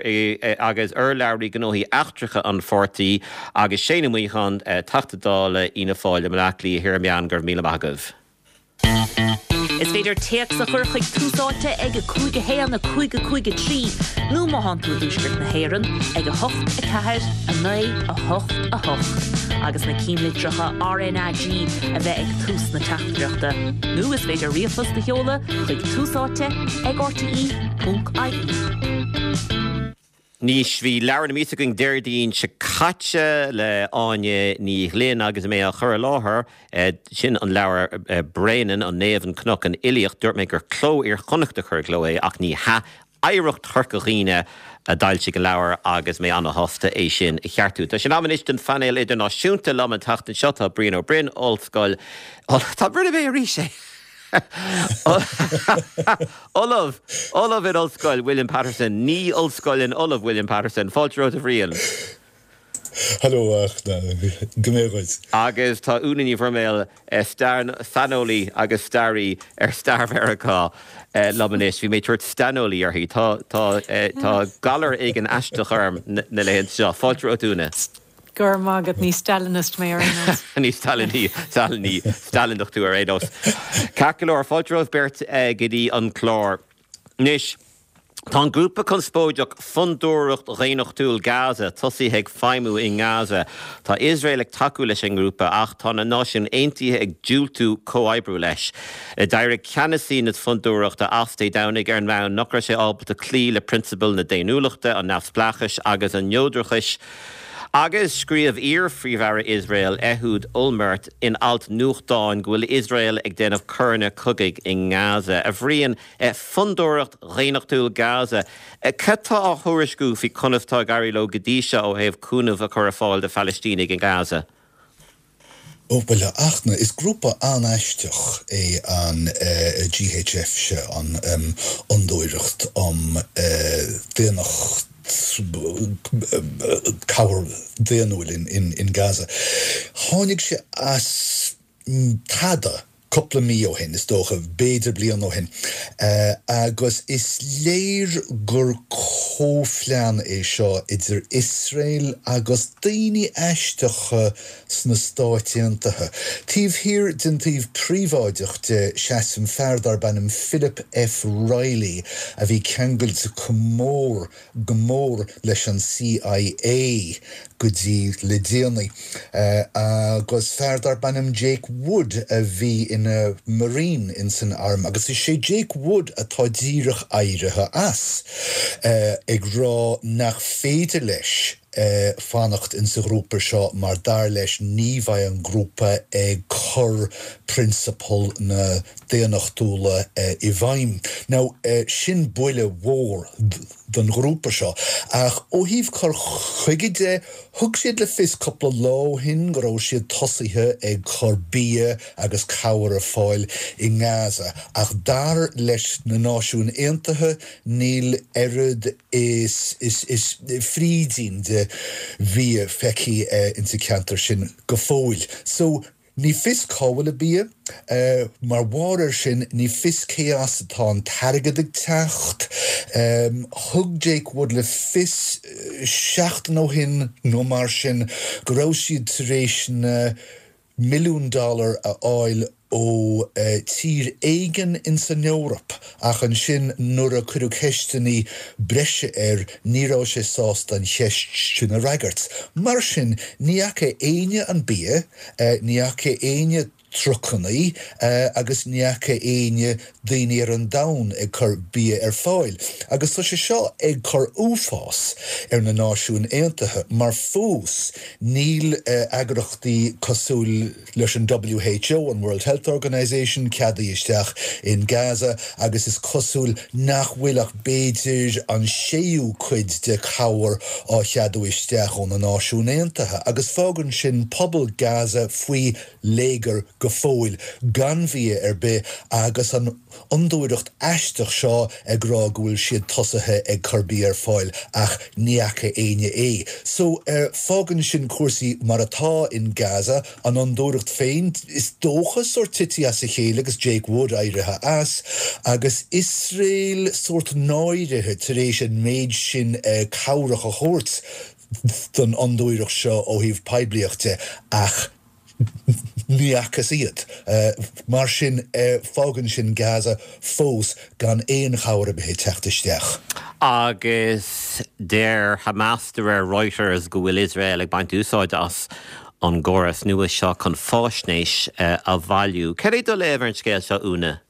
agus urlabhraí gnóthaí eachtracha an pháirtí, agus Shane Ó Muimhneacháin, Teachta Dála Fhianna Fáil i mBaile Átha Cliath Thiar Meán, go raibh míle maith agaibh. Is féidir téacs a chur chuig Tús Áite ag a cúig a haon a cúig a cúig a trí nó má thánn tú i dTuaisceart na hÉireann ag a hocht a ceathair a naoi a hocht a hocht agus na cinnlitreacha RnaG a bheith ag tús na teachtaireachta. Nó is féidir ríomhphost a sheoladh chuig Tús Áite ag rte ponc ie. Anois, bhí Leabhar na Míosa againn Déardaoin seo caite le Áine Ní Ghlinn agus mé á chur i láthair, sin an leabhar Bréanainn, an Naomh, an Cnoc, an Fhilíocht. Dúirt mé gur Cló Iar-Chonnacht a chuir i gcló é ach ní hea. Oidhreacht Chorca Dhuibhne a d'fhoilsigh an leabhar agus mé ana-shásta é sin a cheartú. Tá sé in am anois don phainéal idirnáisiúnta. Liom an tseachtain seo tá Brian Ó Broin, Ollscoil Tá Brian mé arís é. Ollamh Ollamh in Ollscoil William Patterson, ní Ollscoil in Ollamh William Patterson, Fáilte romhat a Bhriain. Hello go méid. Agus tá Úna Ní Bhroiméil saineolaí agus staraí ar stair Mheiriceá liom anois, bhí mé ag tabhairt staineolaí uirthi, tá tá galar éigin aisteach orm na laethanta seo. Fáilte romhat Úna. Go raibh maith agat ní Stalinist mé ar aon nós. Ní Stalin Stalin Stalineach tú ar aon nós. Ceart go leor fáilte romhaibh beirt go dtí an clár. Anois, Tá an grúpa conspóideach Fondúireacht Dhaonnachtúil Gaza tosaithe ag feidhmiú i nGaza. Tá Iosrael ag tacú leis an ngrúpa ach tá na Náisiúin Aontaithe ag diúltú comhoibriú leis. D'éirigh ceannasaí na fondúireachta as Dé Domhnaigh ar an mbonn nach raibh sé ábalta cloí le prionsabail na daonnúlachta, an neamhspleáchais agus an neodrachais. Agus scríobh iar-phríomh-aire Iosrael Ehud Olmert in alt nuachtáin go bhfuil Iosrael ag déanamh coireanna cogaidh i nGaza. A Bhriain, Fondúireacht Dhaonnachtúil Gaza, cad tá á thuairisciú faoi conas tá ag éirí leo go dtí seo ó thaobh cúnamh a chur ar fáil do Phalaistínigh i nGaza? Ó, bhuel, a Fhachtna, is grúpa an-aisteach é an GHF seo, an Fhondúireacht um Daonnacht, Cabhair Daonnúil in Gaza. Tháinig sé as tada cúpla mí ó shin, is dócha, b'fhéidir bliain ó shin, agus is léir gur comhphlean é seo idir Iosrael agus daoine aisteacha sna Stáit Aontaithe. Taobh thiar den taobh príobháideach de seasann fear darb ainm Philip F. Reilly a bhí ceangailte go mór go mór leis an CIA go dtí le déanaí, agus fear darb ainm Jake Wood a bhí ina Marine ins an arm, agus is é Jake Wood atá díreach éirithe as, ag rá nach féidir leis fanacht insa ghrúpa seo mar dar leis ní bheidh an grúpa ag cur prionsabail na daonnachtúla i bhfeidhm. Now, sin buille mhór don ghrúpa seo. Ach ó thaobh cur chuige de, thug siad le fios cúpla lá ó shin go raibh siad tosaithe ag cur bia agus cabhair ar fáil i nGaza, ach dar leis na Náisiúin Aontaithe níl oiread is is frídín de bhia feicthe insa cheantar sin go fóill. So, ní fios cá bhfuil an bia. Mar bharr air sin, ní fios cé as atá an t-airgead ag teacht. Thug Jake Wood le fios seachtain ó shin nó mar sin go raibh siad tar éis na milliún dollar a fháil ó tír éigin ins an Eoraip ach ansin nuair a cuireadh ceisteanna breise air ní raibh sé sásta an cheist sin a fhreagairt. Mar sin, ní fhaca éinne an bia, ní fhaca éinne trucannaí agus ní fhaca éinne daoine ar an domhan ag cur bia ar fáil. Agus tá sé seo ag cur uafás ar na Náisiúin Aontaithe mar fós níl eagrachtaí cosúil leis an WHO, an World Health Organization, ceadaithe isteach in Gaza agus is cosúil nach bhfuil ach b'fhéidir an séú cuid de chabhair á cheadú isteach ó na Náisiúin Aontaithe agus fágann sin pobal Gaza faoi léigear go fóill gan bhia ar bith agus an fhondúireacht aisteach seo ag rá go bhfuil siad tosaithe ag cur bia ar fáil ach ní fhaca éinne é. So fágann sin cúrsaí mar atá in Gaza, an fhondúireacht féin is dócha sórt tite as a chéile agus Jake Wood éirithe as agus Iosrael sórt náirithe tar éis an méid sin cabhrach a thabhairt don fhondúireacht seo ó thaobh poiblíocht de ach Ní fhacthas iad. Mar sin, fágann sin Gaza fós gan aon chabhair ar bith ag teacht isteach. Agus deir Hamas de réir Reuters go bhfuil Iosrael ag baint úsáid as an gcóras nua seo chun faisnéis a bhailiú. Cad é do léamh ar an scéal seo, Úna?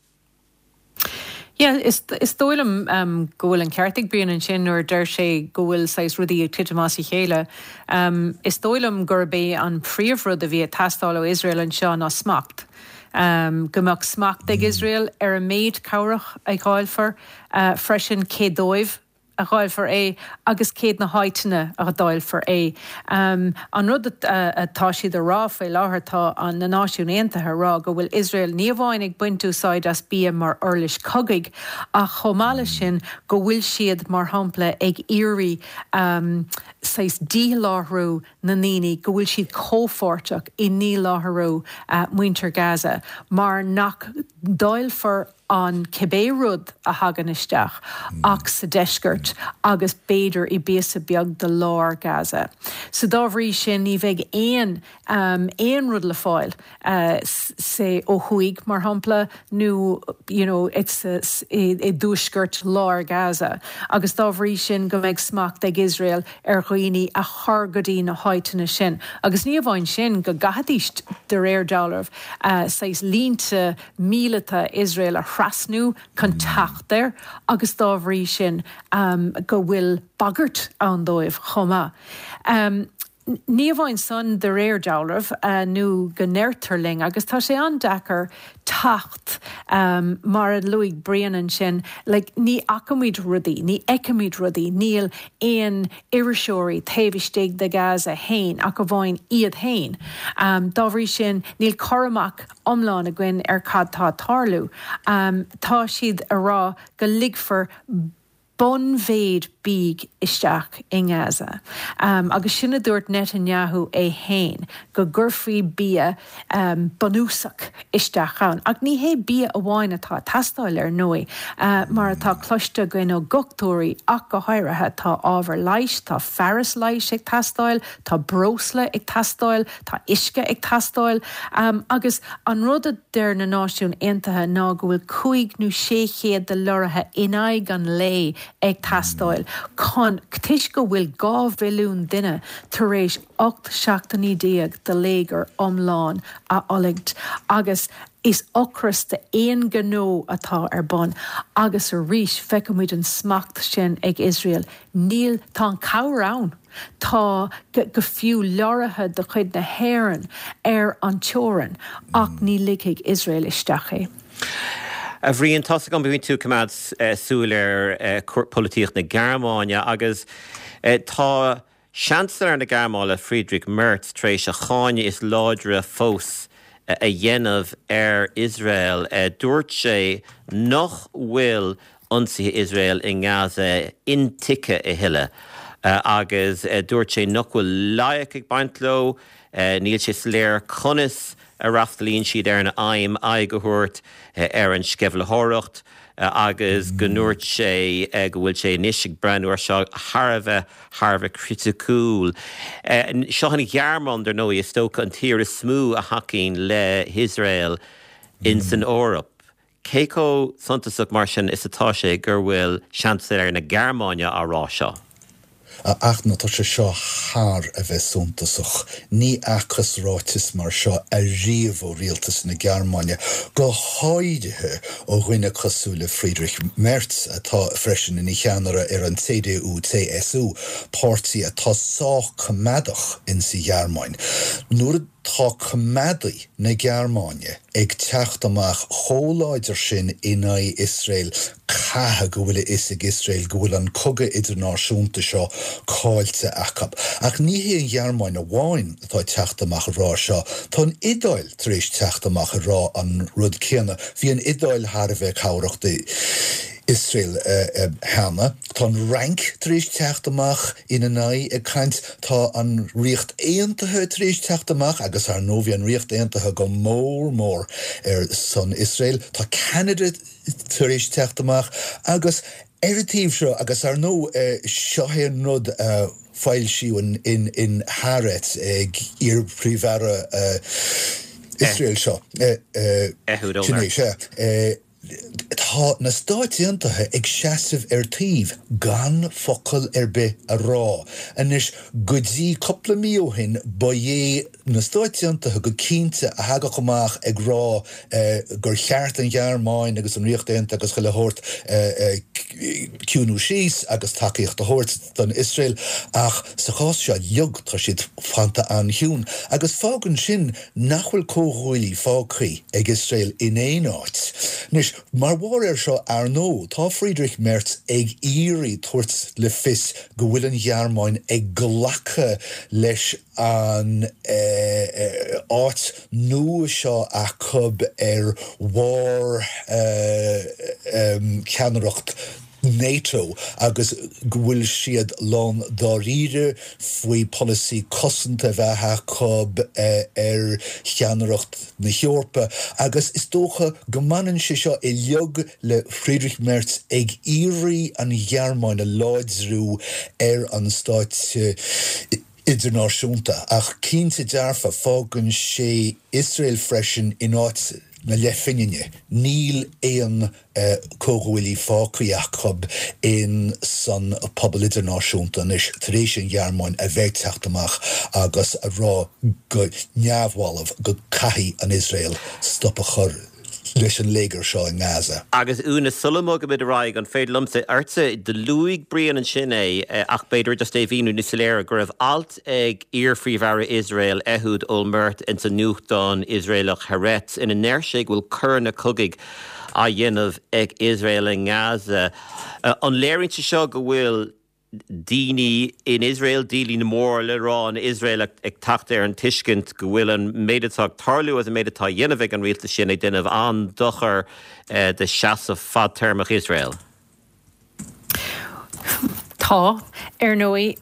Yeah, is is dóigh liom um, go bhfuil an ceart ag Brian ansin nuair a deir sé go bhfuil saghas rudaí ag titim as a chéile. Um, is dóigh liom gurb é an príomhrud a bhí ag teastáil ó Iosrael anseo ná smacht. Go mbeadh smacht ag Iosrael ar an méid cabhrach a dháilfear, freisin cé dóibh a dháilfear é agus cé na háiteanna a dháilfear é. An rud atá siad a rá faoi láthair tá an na Náisiúin Aontaithe a rá go bhfuil Iosrael ní amháin ag baint úsáid as bia mar uirlis cogaidh ach chomh maith leis sin go bhfuil siad mar shampla ag iarraidh saghas díláithriú na ndaoine, go bhfuil siad comhpháirteach i ndíláithriú muintir Gaza mar nach ndáilfear an cibé rud a thagann isteach ach sa deisceart agus b'fhéidir i bpíosa beag de lár Gaza. So dá bhrí sin ní bheidh aon aon rud le fáil say ó thuaidh mar shampla nó you know it's i dtuaisceart lár Gaza agus dá bhrí sin go mbeidh smacht ag Iosrael ar dhaoine a chur go dtí na háiteanna sin. Agus ní amháin sin go gcaithfidís de réir dealraimh saghas línte míleata Iosrael a thrasnú chun teacht air agus dá bhrí sin go bhfuil bagairt ann dóibh chomh maith. Ní amháin san de réir dealraimh nó go ndeirtear linn agus tá sé an-deacair teacht mar a luaigh Brian ansin, like ní fheicimid rudaí, ní fheicimid rudaí, níl aon iriseoirí taobh istigh de Gaza féin ach amháin iad féin. Dá bhrí sin níl cur amach iomlán againn ar cad tá ag tarlú. Tá siad a rá go ligfear bunmhéid bídh isteach i nGaza. Agus sin a dúirt Netanyahu é féin, go gcuirfí bia bunúsach isteach ann. Ach ní hé bia amháin atá ag teastáil, ar ndóigh, mar atá cloiste againn ó dhochtúirí ach go háirithe, tá ábhar leighis, tá fearas leighis ag teastáil, tá breosla ag teastáil, tá uisce ag teastáil. Agus an rud a deir na Náisiúin Aontaithe ná go bhfuil cúig nó sé chéad de leoraithe in aghaidh an lae ag teastáil chun, toisc go bhfuil dhá mhilliún duine tar éis ocht seachtainí déag de léigear iomlán a fhulaingt agus is ocras d'aon ghnó atá ar bun agus arís feicimid an smacht sin ag Iosrael. Níl, tá an cabhair ann, tá go fiú leoraithe de chuid na hÉireann ar an teorainn ach ní ligfidh Iosrael isteach é. A Bhriain, tá's agam go mbíonn tú ag coimeád súil ar polaitíocht na Gearmáine agus tá Seansailéir na Gearmáine Friedrich Merz tar éis a cháineadh is láidre fós a dhéanamh ar Iosrael. Dúirt sé nach bhfuil ionsaithe Iosrael i nGaza intuigthe a thuilleadh agus dúirt sé nach bhfuil loighic ag baint leo, níl sé soiléir conas a fhreastalaíonn siad ar an aidhm aghaidh a thabhairt ar an sceimhlitheoireacht agus go ndúirt sé go bhfuil sé anois ag breathnú ar seo thar a bheith thar a bheith criticiúil. Seo an Ghearmáin, dar ndóigh, is dócha an tír is mó a thacaíonn le hIosrael in san Eoraip. Cé chomh suntasach mar sin is atá sé gur bhfuil Seansailéir na Gearmáine á rá seo? A Fhachtna, tá sé seo thar a bheith suntasach. Ní fhacthas ráiteas mar seo ariamh ó rialtas na Gearmáine, go háirithe ó dhuine cosúil le Friedrich Merz, atá freisin ina cheannaire ar an CDU-CSU, páirtí atá sách coimeádach insa Ghearmáin. Nuair atá coimeádaigh na Gearmáine ag teacht amach chomh láidir sin in aghaidh Iosrael, caithfidh go bhfuil a fhios ag Iosrael go bhfuil an cogadh idirnáisiúnta seo caillte acu. Ach ní hé an Ghearmáin amháin atá ag teacht amach ag rá seo, tá an Iodáil tar éis teacht amach ag rá an rud céanna. Bhí an Iodáil thar a bheith cabhrach d'Iosrael cheana. Tá an Fhrainc tar éis teacht amach ina n-aghaidh ag caint. Tá an Ríocht Aontaithe tar éis teacht amach agus ar ndóigh bhí an Ríocht Aontaithe go mór mór ar son Iosrael. Tá Ceanada tar éis teacht amach agus ar an taobh seo agus ar ndóigh seo é an rud a foilsíodh in in Haaretz ag iar-Phríomh-Aire Iosrael seo. Ehud Sin é, Olmert. sea. Tá na Stáit Aontaithe ag seasamh ar taobh gan focal ar bith a rá. Anois, go dtí cúpla mí ó shin, ba é na Stáit Aontaithe go cinnte a thagadh amach ag rá gur cheart an Ghearmáin agus an Ríocht Aontaithe agus chuile shórt ciúnú síos agus tacaíocht a thabhairt don Iosrael ach sa chás seo uilig tá siad fanta an-chiúin agus fágann sin nach bhfuil comhghuaillí fágtha ag Iosrael in aon áit. Anois, mar bharr air seo ar ndóigh, tá Friedrich Merz ag iarraidh tabhairt le fios go bhfuil an Ghearmáin ag glacadh leis an áit nua seo acu ar bharr ceannaireacht NATO agus go bhfuil siad lán dáiríre faoi polasaí cosanta a bheith acu ar cheannaireacht na hEorpa agus is dócha go mbaineann sé seo uilig le Friedrich Merz ag iarraidh an Ghearmáin a láidriú ar an stáitse idirnáisiúnta. Ach cinnte dearfa fágann sé Iosrael freisin in áit na leathphingine. Níl aon comhghuaillí fágtha acu in san pobal idirnáisiúnta anois tar éis an Ghearmáin a bheith ag teacht amach agus a rá go neamhbhalbh go gcaithfidh an Iosrael stop a chur leis an léigear seo i nGaza. Agus Úna, sula mbogaimid ar aghaidh, an féidir liomsa ortsa, do luaigh Brian ansin é, ach b'fhéidir just é a mhíniú níos soiléire, go raibh alt ag iar-phríomh-aire Iosrael, Ehud Olmert, ins an nuachtán Iosraelach Haaretz, ina ndeir sé go bhfuil coireanna cogaidh á dhéanamh ag Iosrael i nGaza. An léiríonn sé seo go bhfuil daoine in Iosrael, daoine mór le rá in Iosrael ag teacht ar an tuiscint go bhfuil an méid atá ag tarlú agus an méid atá á dhéanamh ag an rialtas sin ag déanamh an-dochar do seasamh fadtéarmach Iosrael? Tá, ar ndóigh,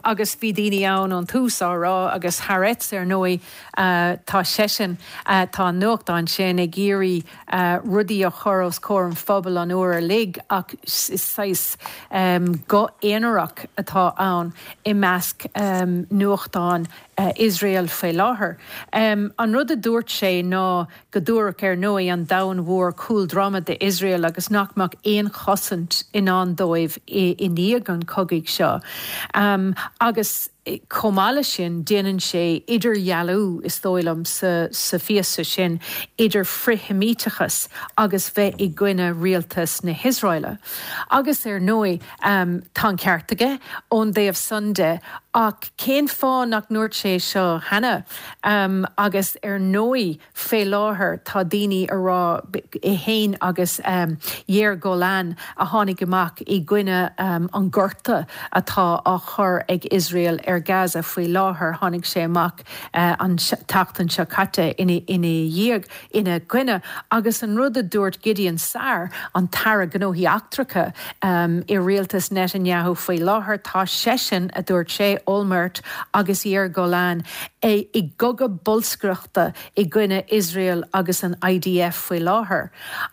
agus bhí daoine ann ón tús á rá agus Haaretz ar ndóigh, tá seisean, tá an nuachtán sin ag iarraidh rudaí a chur os comhair an phobail an uair uilig ach is saghas guth aonarach atá ann i measc nuachtáin Iosrael faoi láthair. An rud a dúirt sé ná go dtabharfadh ar ndóigh an domhan mhór cúl droma d'Iosrael agus nach mbeadh aon chosaint i ndán dóibh i ndiaidh an chogaidh seo. Agus chomh maith leis sin déanann sé idirdhealú, is dóigh liom, sa phíosa sin idir frith-Sheimíteachas agus bheith i gcoinne rialtas na hIosraeile. Agus ar ndóigh tá an ceart aige ón dtaobh san de ach cén fáth nach ndúirt sé seo cheana? Agus ar ndóigh fé láthair tá daoine a rá, é féin agus Yair Golan a tháinig amach i gcoinne an gorta atá á chur ag Iosrael ar Gaza faoi láthair, tháinig sé amach an tseachtain seo caite ina dhiaidh, ina gcoinne. Agus an rud a dúirt Gideon Sa'ar, an tAire Gnóthaí Eachtracha i rialtas Netanyahu faoi láthair, tá seisean, a dúirt sé, Olmert agus Yair Golan, i gcogadh bolscaireachta i gcoinne Iosrael agus an IDF faoi láthair.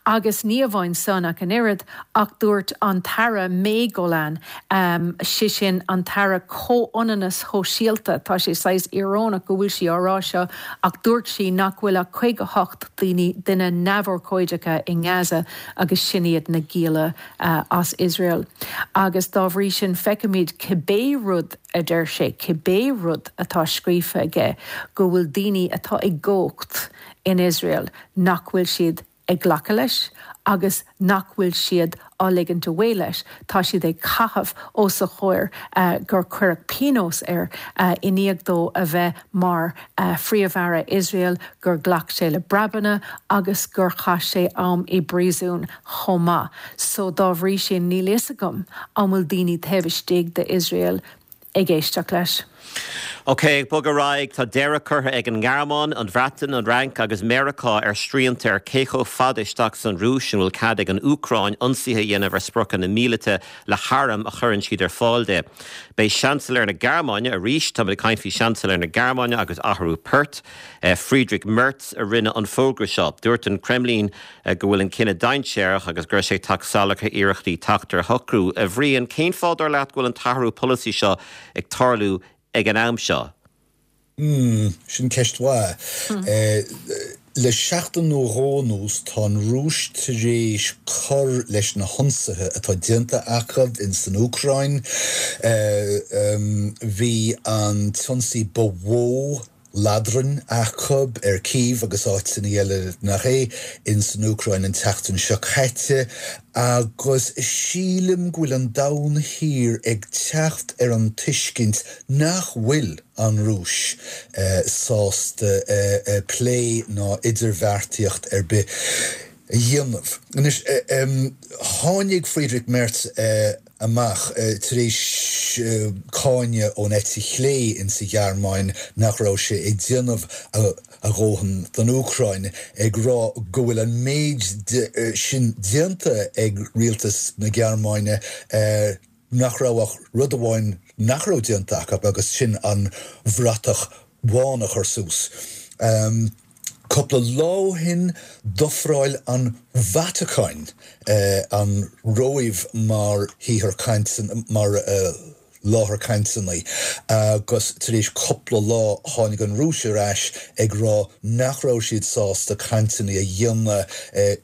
Agus ní amháin san ach an oiread, ach dúirt an tAire May Golan, sé sin an tAire Comhionannas Shóisialta, tá sé saghas íorónach go bhfuil sí á rá seo, ach dúirt sí nach bhfuil ach caoga a hocht daoine, duine neamhurchóideacha i nGaza agus sin iad na gialla as Iosrael. Agus dá bhrí sin feicimid cibé rud a deir sé, cibé rud atá scríofa aige, go bhfuil daoine atá i gcumhacht in Iosrael nach bhfuil siad ag glacadh leis agus nach bhfuil siad á ligint away leis. Tá siad ag caitheamh os a chomhair gur cuireadh pionós air i ndiaidh dó a bheith mar Phríomh-Aire Iosrael, gur ghlac sé le breabanna agus gur chaith sé am i bpríosún chomh maith. So dá bhrí sin níl fhios agam an bhfuil daoine taobh istigh d'Iosrael ag éisteacht leis. Ok, ag bogadh ar aghaidh, tá deireadh curtha ag an nGearmáin, an Bhreatain, an Fhrainc agus Meiriceá ar shrianta ar cé chomh fada isteach san Rúis an bhfuil cead ag an Úcráin ionsaithe a dhéanamh ar spriocanna míleata le hairm a chuireann siad ar fáil di. B'é Seansailéir na Gearmáine, arís táimid ag caint faoi Seansailéir na Gearmáine agus athrú poirt, Friedrich Merz a rinne an fógra seo. Dúirt an Kremlin go bhfuil an cinneadh dainséarach agus go raibh sé ag teacht salach ar iarrachtaí teacht ar shocrú. A Bhriain, cén fáth dar leat go bhfuil an t-athrú polasaí seo ag tarlú ag an am seo? Hmm, sin ceist mhaith. Le seachtain nó dhó anuas tá an Rúis tar éis cur leis na hionsaithe atá déanta acu in san Úcráin. Bhí an t-ionsaí ba mhó ladrainn acu ar Kyiv agus áiteanna eile nach é ins an Úcráin an tseachtain seo caite agus sílim go bhfuil an domhan thiar ag teacht ar an tuiscint nach bhfuil an Rúis sásta plé ná idirbheartaíocht ar bith a dhéanamh. Anois, tháinig Friedrich Merz amach tar éis cáineadh ón eite chlé insa Ghearmáin nach raibh sé ag déanamh a dhóthain don Úcráin, ag rá go bhfuil an méid sin déanta ag rialtas na Gearmáine nach raibh ach rud amháin nach raibh déanta acu agus sin an bhratach bhán a chur suas. Cúpla lá ó shin d'ofráil an Vatacáin an Róimh mar shaothar cainteanna, mar láthair cainteanna agus tar éis cúpla lá tháinig an Rúis ar ais ag rá nach raibh siad sásta cainteanna a dhéanamh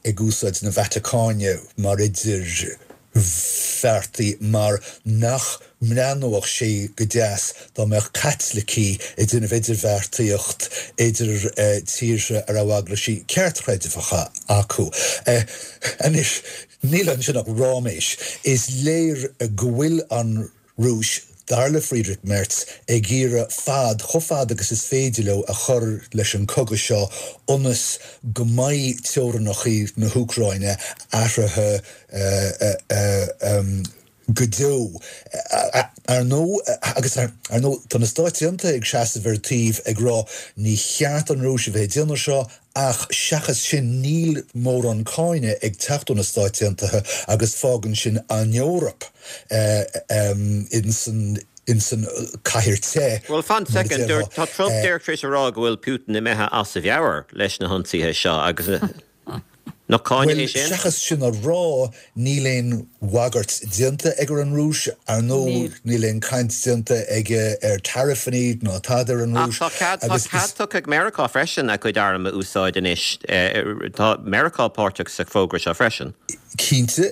ag úsáid na Vatacáine mar idirbheartaí mar nach mbreathnódh sé go deas dá mbeadh Caitlicigh ag déanamh idirbheartaíocht idir tíortha a raibh eaglaisí ceartchreidmheacha acu. Anois, níl ansin ach ráiméis. Is léir go bhfuil an Rúis, dar le Friedrich Merz, ag iarraidh fad, chomh fada agus is féidir leo, a chur leis an gcogadh seo ionas go mbeidh teorainneacha na hÚcráine athraithe go deo. Ar ndóigh, agus ar ndóigh, tá na Stáit Aontaithe ag seasamh ar taobh ag rá ní cheart an Rúis a bheith ag déanamh seo ach seachas sin níl mórán cáinte ag teacht ó na Stáit Aontaithe agus fágann sin an Eoraip insan insan cathair te. Bhuel, fan soicind, tá Trump díreach tar éis a rá go bhfuil Putin imithe as a mheabhair leis na hionsaithe seo agus Nach cáineadh é sin? Bhuel, seachas sin a rá, níl aon bhagairt déanta ag ar an Rúis, ar ndóigh, níl aon caint déanta aige ar taraifeanna ná tada ar an Rúis. Ach tá cead, tá cead tugtha ag Meiriceá freisin a cuid arm a úsáid anois. Tá Meiriceá páirteach sa bhfógra seo freisin. Cinnte,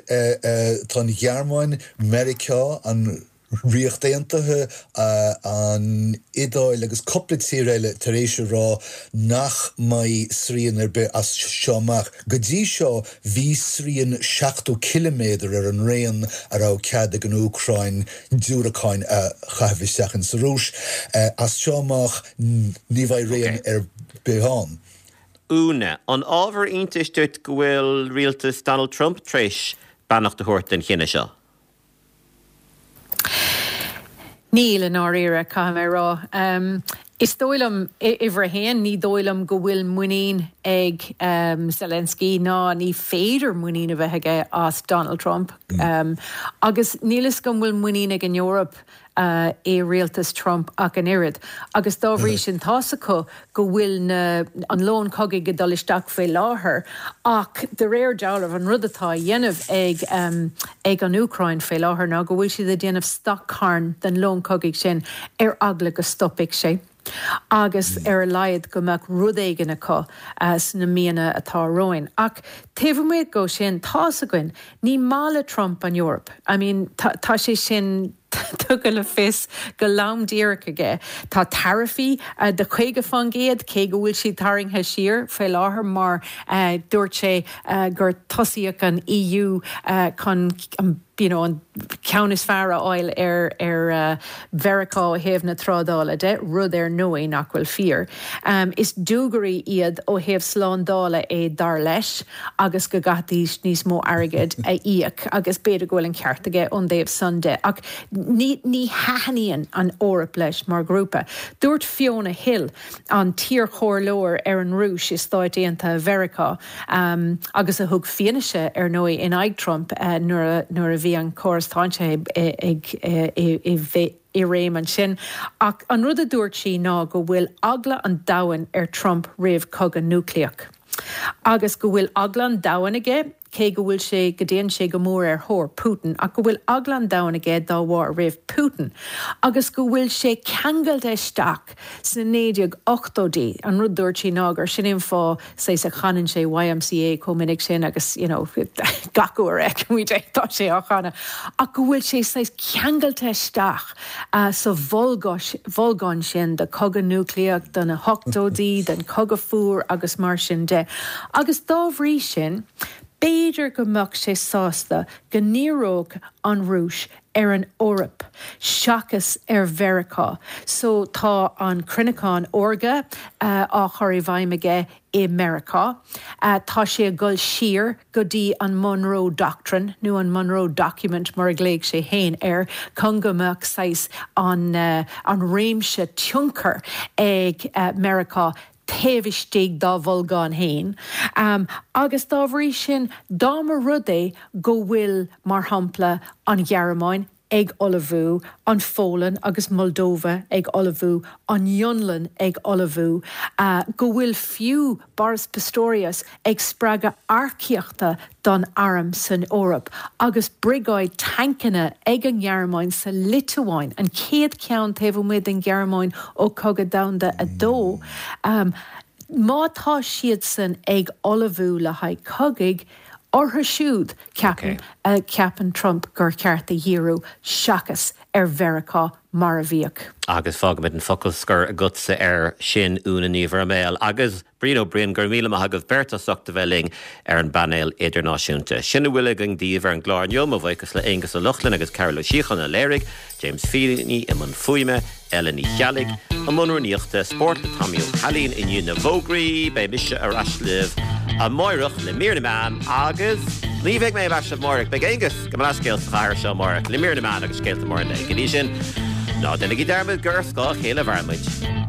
tá an Ghearmáin, Meiriceá, an Ríocht Aontaithe, an Iodáil agus cúpla tír eile tar éis a rá nach mbeidh srian ar bith as seo amach. Go dtí seo bhí srian seachtó ciliméadar ar an raon a raibh cead ag an Úcráin diúracáin a chaitheamh isteach insa Rúis. As seo amach ní bheidh raon ar bith ann. Úna, an ábhar iontais duit go bhfuil rialtas Donald Trump tar éis beannacht a thabhairt don chinneadh seo? Níl, i ndáiríre, caithfidh mé a rá. Is dóigh liom, uimhir a haon, ní dóigh liom go bhfuil muinín ag Zelensky ná ní féidir muinín a bheith aige as Donald Trump. Agus níl fhios agam an bhfuil muinín ag an Eoraip i rialtas Trump ach an oiread. Agus dá bhrí sin tá's acu go bhfuil na, an lón cogaidh ag dul isteach faoi láthair ach de réir dealraimh an rud atá á dhéanamh ag ag an Úcráin faoi láthair ná go bhfuil siad ag déanamh stoc-charn den lón cogaidh sin ar eagla go stopfaidh sé agus ar a laghad go mbeadh rud éigin acu sna míonna atá romhainn. Ach taobh amuigh dhó sin, tá's againn, ní maith le Trump an Eoraip. I mean, tá tá sé sin tugtha le fios go lom díreach aige. Tá taraifí de chaoga faoin gcéad, cé go bhfuil siad tarraingthe siar faoi láthair mar dúirt sé gur tosaíodh an EU chun an you know, an ceann is fearr a fháil ar ar Mheiriceá ó thaobh na trádála de, rud ar ndóigh nach bhfuil fíor. Is dúgairí iad ó thaobh slándála é dar leis agus go gcaithfidís níos mó airgid a íoc agus b'fhéidir go bhfuil an ceart aige ón dtaobh san de. Ach ní ní thaitníonn an Eoraip leis mar ghrúpa. Dúirt Fiona Hill, an t-iarchomhairleoir ar an Rúis i Stáit Aontaithe Mheiriceá agus a thug fianaise ar ndóigh in aghaidh Trump nuair a nuair a bhí an córas táinseach ag i réim ansin. Ach an rud a dúirt sí ná go bhfuil eagla an domhain ar Trump roimh cogadh núicléach. Agus go bhfuil eagla an domhain aige cé go bhfuil sé, go dtéann sé go mór ar thóir Putin, ach go bhfuil eagla an domhain aige dá bharr roimh Putin, agus go bhfuil sé ceangailte isteach sna naoi déag ochtóidí. An rud dúirt sé ná gur sin é an fáth saghas a chanann sé YMCA chomh minic sin agus you know gach uair a fheicimid é tá sé á chanadh, ach go bhfuil sé saghas ceangailte isteach sa bholgán sin de chogadh núicléach, de na hochtóidí, den chogadh fuar agus mar sin de. Agus dá bhrí sin, b'fhéidir go mbeadh sé sásta go ndíreodh an Rúis ar an Eoraip seachas ar Mheiriceá. So tá an cruinneachán órga á chur i bhfeidhm aige i Meiriceá. Tá sé ag dul siar go dtí an Monroe Doctrine, nó an Monroe Document mar a ghlaoigh sé féin air, chun go mbeadh saghas an an réimse tionchair ag Meiriceá taobh istigh dá bholgán féin. Agus dá bhrí sin, dá mba rud é go bhfuil, mar shampla, an Ghearmáin ag ullmhú, an Pholainn agus Moldova ag ullmhú, an Fhionlainn ag ullmhú, go bhfuil fiú Boris Pistorius ag spreagadh earcaíochta don arm san Eoraip agus briogáid tancanna ag an nGearmáin sa Liotuáin, an chéad cheann taobh amuigh den Ghearmáin ó Chogadh Domhanda a Dó. Má tá siadsan ag ullmhú le haghaidh cogaidh, orthu siúd, ceapaim, ceapann Trump gur cheart a dhíriú seachas ar Mheiriceá mar a bhíodh. Agus fágfaimid an focal scoir agatsa air sin, Úna Ní Bhroiméil. Agus Brian Ó Broin, go raibh míle maith agaibh beirt as ucht a bheith linn ar an bpainéal idirnáisiúnta. Sin a bhfuil againn daoibh ar an gclár inniu, mo bhuíochas le Aonghus Ó Lochlainn agus Cearbhall Ó Síocháin a léirigh, James Feeney i mbun fuaime, Ellen Ní Cheallaigh i mbun rúnaíochta, Spórt le Tommy Ó Cailín i ndiaidh na bhfógraí. Beidh mise ar ais libh amáireach le Mír na Meán agus ní bheidh mé ar ais libh amáireach, beidh Aonghus gabh mo leithscéal sa chathair seo amáireach le Mír na Meán agus Scéalta Móra an Lae. Go dtí sin, ná déanaigí dearmad gur ar scáth a chéile a mhaireann muid.